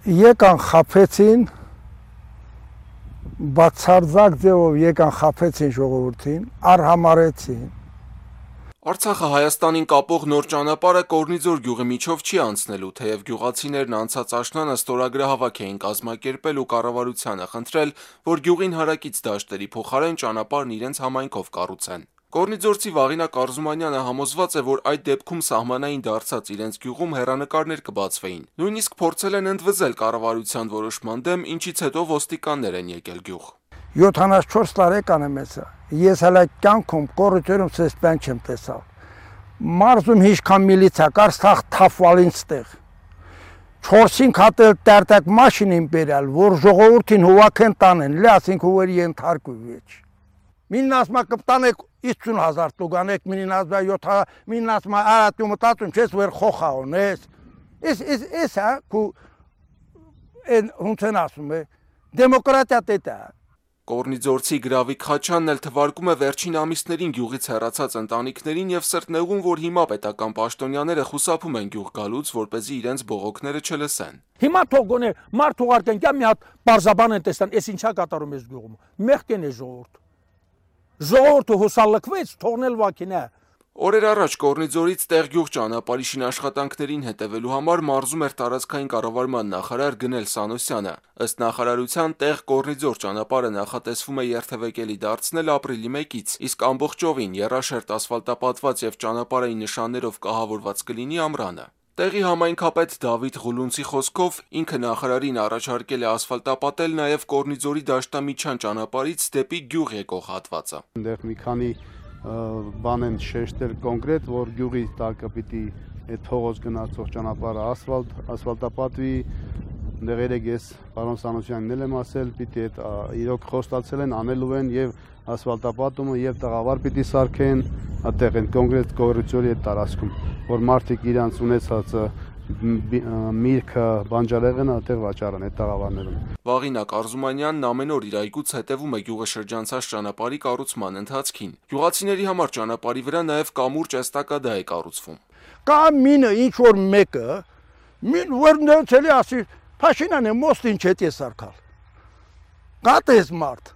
Եկան խաբեցին, բացարձակ ձևով եկան խաբեցին ժողովրդին, արհամարեցին։ Արցախը Հայաստանին կապող նոր ճանապարհը Կորնիձոր գյուղի միջով չի անցնելու, թեև գյուղացիներն անցած աշնանը ստորագրահավաք էին կազմակերպել ու կառավարությանը խնդրել, որ գյուղին հարակից դաշտերի փոխարեն ճանապարհն իրենց համայնքով կառուցեն։ Կորնիձորցի Վաղինակ Արզումանյանը համոզված է, որ այդ դեպքում սահմանային դարձած իրենց գյուղում հեռանկարներ կբացվեին։ Նույնիսկ փորձել են ընդվզել կառավարության որոշման դեմ, ինչից հետո ոստիկաններ են եկել գյուղ։ 74 տարեկան եմ ես հələ կյանքում կոռուպցիոնում սես բան չեմ տեսալ։ Մարզում հիշքան միլիցիա կար սաղ թափվալին ստեղ։ 4-5 հատ տերտակ մաշին բերալ, որ ժողովրդին հուվակեն տանեն, լասինք հուվերի ենթարկու վեճ։ Մին ասма կպտանեք 50,000 տուգանեք, մին ասма 7, մին ասма արատու մտածում չես վեր խոխաոն ես հա կու հունցեն ասում է դեմոկրատիա տետա։ Կորնիձորցի Գրավիկ Խաչյանն էլ թվարկում է վերջին ամիսներին գյուղից հեռացած ընտանիքներին եւ սրտնեղում, որ հիմա պետական պաշտոնյաները խուսափում են գյուղ գալուց, որպեսզի իրենց բողոքները չլսեն։ Հիմա թող գոնե մարդ ուղարկեն, կա մի հատ բարձաբան են տեսան, էս ինչա կատարում ես գյուղում։ Մեղքեն է ժողովուրդ։ Ժողովուրդը հուսալքվեց, թողնել վակին է։ Օրեր առաջ Կորնիձորից Տեղգյուղ ճանապարհի շինաշխատանքներին հետևելու համար մարզում էր տարածքային կառավարման նախարար Գնել Սանոսյանը։ Ըստ նախարարության Տեղ-Կորնիձոր ճանապարհը նախատեսվում է երթևեկելի դարձնել ապրիլի 1-ից, իսկ ամբողջովին եռաշերտ ասֆալտապատված եւ ճանապարհային նշաններով կահավորված կլինի ամռանը։ Տեղի համայնքապետ Դավիթ Ղուլունցի խոսքով ինքը նախարարին առաջարկել է ասֆալտապատել նաեւ Կորնիձորի դաշտամիջյան ճանապարհից դեպի գյուղ եկող հատվածը։ Այնտեղ մի քանի բան են շեշտել կոնկրետ, որ գյուղի տակը պիտի այդ փողոց գնացող ճանապարհը ասֆալտապատվի, այնտեղ երեք ես պարոն Սանոսյանին էլ եմ ասել, պիտի այդ իրոք խոստացել են, անելու են եւ ասֆալտապատումը եւ տղավար պիտի սարքեն, այդտեղ են կոնկրետ կոռուպցիայի այդ տարածքում, որ մարդիկ իրանց ունեցած միրգը բանջարեղենը այդտեղ վաճառեն այդ տաղավարներում։ Վաղինակ Արզումանյանն ամեն օր իր այգուց հետևում է գյուղը շրջանցած ճանապարհի կառուցման ընթացքին։ Գյուղացիների համար ճանապարհի վրա նաև կամուրջ էստակադա է կառուցվում։ Կա մինը ինչ որ մեկը, մին վերնցելի ասի, Փաշինյանը մոստին չէ սարքալ։ Կատես մարդ։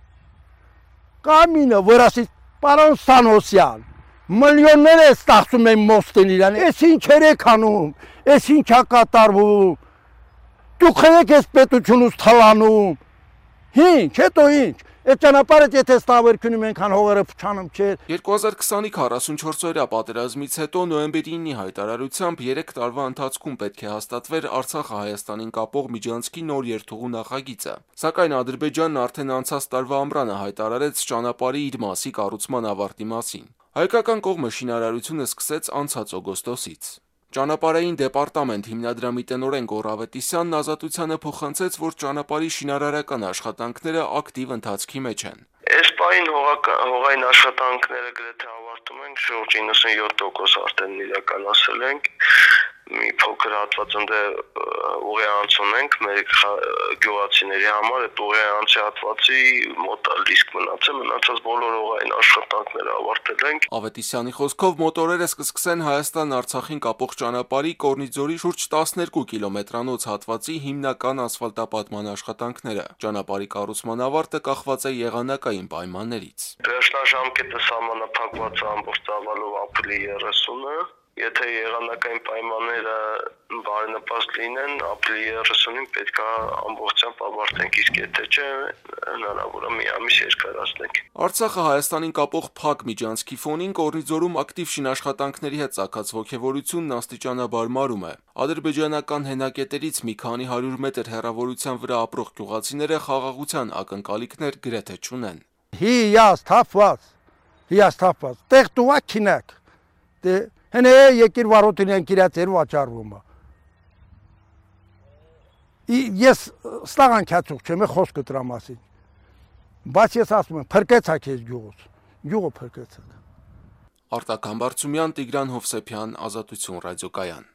Կա մինը որ ասի, պարոն Սանոսյան, միլիոններ է ստացում են մոստին իրան, ես ինչ երեք անում, ես ինչա կատարվում, դուք եք ես պետությունուց թալանում, ինչ, հետո ինչ, այդ ճանապարհը եթե ստավերքնում ենքան հողերը փչանում չէ։ 2020-ի 44-օրյա պատերազմից հետո նոյեմբերի 9-ի հայտարարությամբ 3 տարվա ընթացքում պետք է հաստատվեր Արցախը Հայաստանին կապող միջանցքի նոր երթուղու նախագիծը, սակայն Ադրբեջանն արդեն անցած տարվա ամռանը հայտարարեց ճանապարհի իր մասի կառուցման ավարտի մասին։ Հայկական կողմը շինարարությունը սկսեց անցած օգոստոսից։ Ճանապարհային դեպարտամենտ հիմնադրամի տնօրեն Գոռ Ավետիսյանն Ազատությանը փոխանցեց, որ ճանապարհի շինարարական աշխատանքները ակտիվ ընթացքի մեջ են։ Այս պահին հողային աշխատանքները գրեթե ավարտում ենք, շուրջ 97% արդեն իրականացել ենք։ Մի փոքր հատված ընդ ուղի անց ունենք մեր գյուղացիների համար, այդ ուղի անցի հատվածի մոտ լիսկ մնացած բոլոր ուղային աշխատանքները ավարտել ենք։ Ավետիսյանի խոսքով մոտորերը կսկսեն Հայաստան-Արցախին կապող ճանապարհի Կորնիձորի շուրջ 12 կիլոմետրանոց հատվածի հիմնական ասֆալտապատման աշխատանքները։ Ճանապարհի կառուցման ավարտը կախված է եղանակային պայմաններից։ Վերջնաժամկետը սահմանափակված է ամբողջ ծավալով ապրիլի 30-ը։ Եթե եղանակային պայմանները բարենպաստ լինեն, ապրիլի 30-ին պետք է ամբողջությամբ ավարտենք, իսկ եթե չէ, հնարավոր է մի ամիս երկարացնենք։ Արցախը Հայաստանին կապող փակ միջանցքի ֆոնին Կորնիձորում ակտիվ շինաշխատանքների հետ ծագած ոգևորությունն աստիճանաբար մարում է։ Ադրբեջանական հենակետերից մի քանի 100 մետր հեռավորության վրա ապրող գյուղացիները խաղաղության ակնկալիքներ գրեթե չունեն։ Հիասթափված, տեղ տուվա քինակ։ Հենե եկիր վարոտին են կիրացեր վաճառվում է։ Ես ստաղան քացուկ չեմ, խոսքը դրա մասին։ Բայց ես ասում եմ, փրկեցա քեզ գյուղից, գյուղը փրկեցա։ Արտակ Համբարձումյան, Տիգրան Հովսեփյան, Ազատություն ռադիոկայան։